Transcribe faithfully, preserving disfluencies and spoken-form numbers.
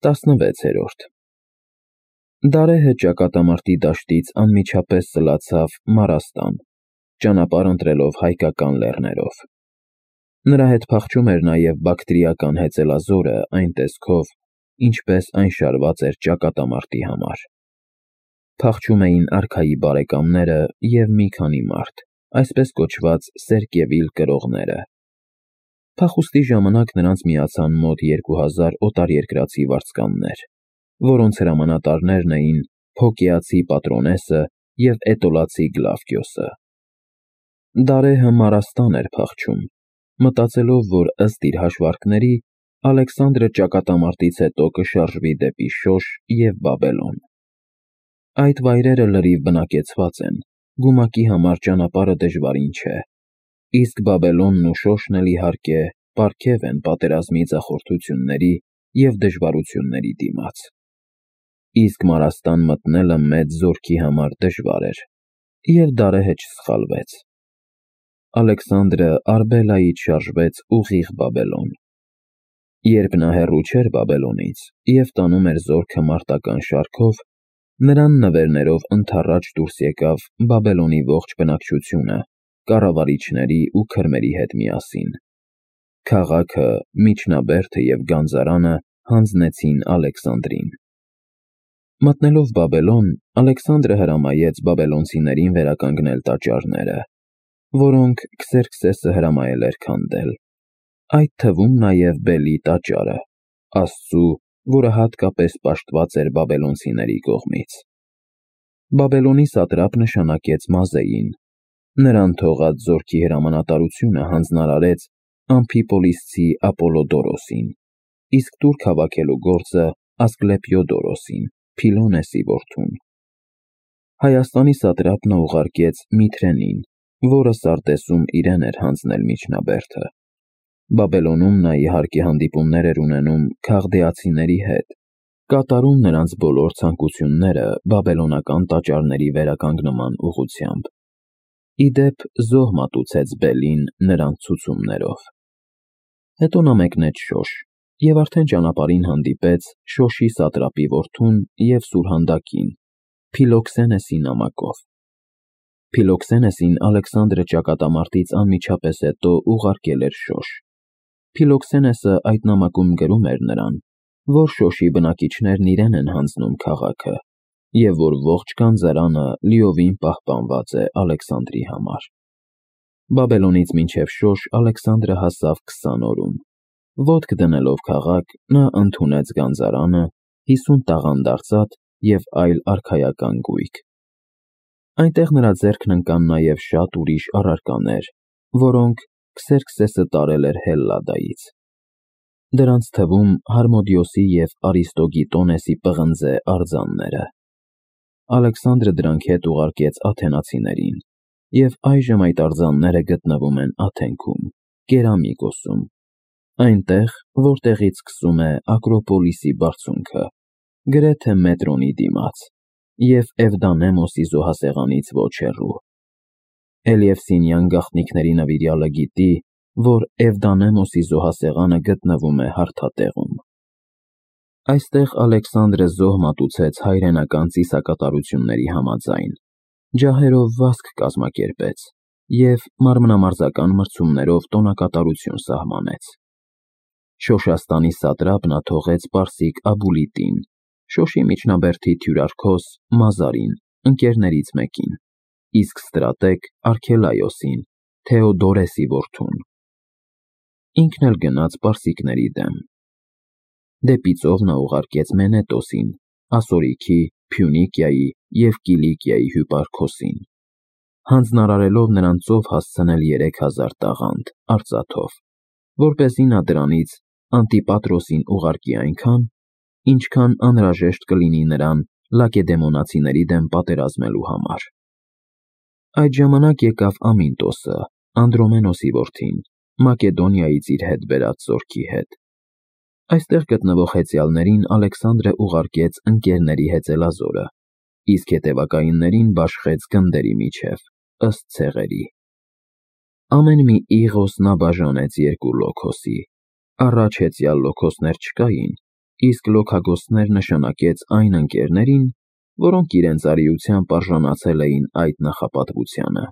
տասնվեցերորդ Դարեհը ճակատամարտի դաշտից անմիջապես սլացավ Մարաստան, ճանապարհ ընտրելով հայկական լեռներով։ Նրա հետ փախչում էր նաև բակտրիական հեծելազորը այն տեսքով, ինչպես այն շարված էր ճակատամարտի համար։ Փախչում էին արքայի բարեկամները և մի քանի մարդ, այսպես կոչված Սերկևիլ կրողները։ Փախուստի ժամանակ նրանց միացան մոտ երկու հազար օտարերկրացի վարձկաններ, որոնց հրամանատարներն էին Փոկեացի Պատրոնեսը և Էտոլացի Գլավկիոսը։ Դարեհը Մարաստան էր փախչում, մտածելով, որ ըստ իր հաշվարկների Ալեքսանդրը ճակատամարտից հետո կշարժվի դեպի Շոշ և Բաբելոն։ Այդ վայրերը լրիվ բնակեցված են, գումակի համար ճանապարհը դժվարին չէ, իսկ Բաբելոնն ու Շոշն էլ իհարկե պարգև են պատերազմի ձախորդությունների և դժվարությունների դիմաց։ Իսկ Մարաստան մտնելը մեծ զորքի համար դժվար էր, և Դարեհը չսխալվեց։ Ալեքսանդրը Արգելայից շարժվեց ուղիղ Բաբելոն։ Երբ նա հեռու չէր Բաբելոնից և տանում էր զորքը մարտական շարքով, նրան նվերներով ընդառաջ դուրս եկավ Բաբելոնի ողջ բնակչությունը կառավարիչների ու քրմերի հետ միասին։ Քաղաքը, միջնաբերդը և գանձարանը հանձնեցին Ալեքսանդրին։ Մտնելով Բաբելոն, Ալեքսանդրը հրամայեց բաբելոնցիներին վերականգնել տաճարները, որոնք Քսերքսեսը հրամայել էր քանդել, այդ թվում նաև Բելի տաճարը, Աստծու, որը հատկապես պաշտված էր բաբելոնցիների կողմից։ Բաբելոնի սատրապ նշանակեց Մազեին, նրան թողած զորքի հրամանատարությունը հանձնարարեց Ամփիպոլիսցի Ապոլոդորոսին, իսկ տուրք հավաքելու գործը Ասկլեպիոդորոսին, Փիլոնեսի որդուն։ Հայաստանի սատրապ նա ուղարկեց Միթրենին, որը Սարտեսում իրեն էր հանձնել միջնաբերդը։ Բաբելոնում նա իհարկե հանդիպումներ էր ունենում քաղդեացիների հետ, կատարում նրանց բոլոր ցանկությունները բաբելոնական տաճարների վերականգնման ուղղությամբ։ Ի դեպ, զոհ մատուցեց Բելին նրանց ցուցումներով։ Հետո նա մեկնեց Շոշ և արդեն ճանապարհին հանդիպեց Շոշի սատրապի որդուն և սուրհանդակին, Փիլոքսենեսի նամակով։ Փիլոքսենեսին Ալեքսանդրը ճակատամարտից անմիջապես հետո ուղարկել էր Շոշ։ Փիլոքսենեսը այդ նամակում գրում էր նրան, որ Շոշի բնակիչներն իրեն են հանձնում քաղաքը և որ ողջ գանձարանը լիովին պահպանված է Ալեքսանդրի համար։ Բաբելոնից մինչև Շոշ Ալեքսանդրը հասավ քսան օրում։ Ոտք դնելով քաղաք, նա ընդունեց գանձարանը, հիսուն տաղանդ արծաթ և այլ արքայական գույք։ Այնտեղ նրա ձեռքն ընկան նաև շատ ուրիշ առարկաներ, որոնք Քսերքսեսը տարել էր Հելլադայից։ Դրանց թվում Հարմոդիոսի և Արիստոգիտոնեսի պղնձե արձանները։ Ալեքսանդրը դրանք հետ ուղարկեց աթենացիներին, և այժմ այդ արձանները գտնվում են Աթենքում, Կերամիկոսում, այնտեղ, որտեղից սկսվում է Ակրոպոլիսի բարձունքը, գրեթե մետրոնի դիմաց, և Էվդանեմոսի զոհասեղանից ոչ հեռու։ Էլիևսինյան գաղտնիքների նվիրյալը գիտի, որ Էվդանեմոսի զոհասեղանը գտնվում է հարթատեղում։ Այստեղ Ալեքսանդրը զոհ մատուցեց հայրենական ծիսակատարությունների համաձայն, ջահերով վազք կազմակերպեց և մարմնամարզական մրցումներով տոնակատարություն սահմանեց։ Շոշաստանի սատրապ նա թողեց պարսիկ Աբուլիտին, Շոշի միջնաբերդի թյուրարքոս Մազարին, ընկերներից մեկին, իսկ ստրատեգ Արգելայոսին, Թեոդորեսի որդուն։ Ինքն էլ գնաց պարսիկների դեմ։ Դեպի ծով նա ուղարկեց Մենետոսին, Ասորիքի, Փյունիկիայի և Կիլիկիայի հյուպարքոսին, հանձնարարելով նրան ծով հասցնել երեք հազար տաղանդ արծաթով, որպեսզի նա դրանից Անտիպատրոսին ուղարկի այնքան, ինչքան անհրաժեշտ կլինի նրան լակեդեմոնացիների դեմ պատերազմելու համար։ Այդ ժամանակ եկավ Ամինտոսը, Անդրոմենոսի որդին, Մակեդոնիայից իր հետ բերած զորքի հետ։ Այստեղ գտնվող հեծյալներին Ալեքսանդրը ուղարկեց ընկերների հեծելազորը, իսկ հետևակայիններին բաշխեց գնդերի միջև, ըստ ցեղերի։ Ամեն մի իղոս նա բաժանեց երկու լոքոսի, առաջ հեծյալ լոքոսներ չկային, իսկ լոքագործներ նշանակեց այն ընկերներին, որոնք իրենց արիությամբ արժանացել էին այդ նախապատվությանը։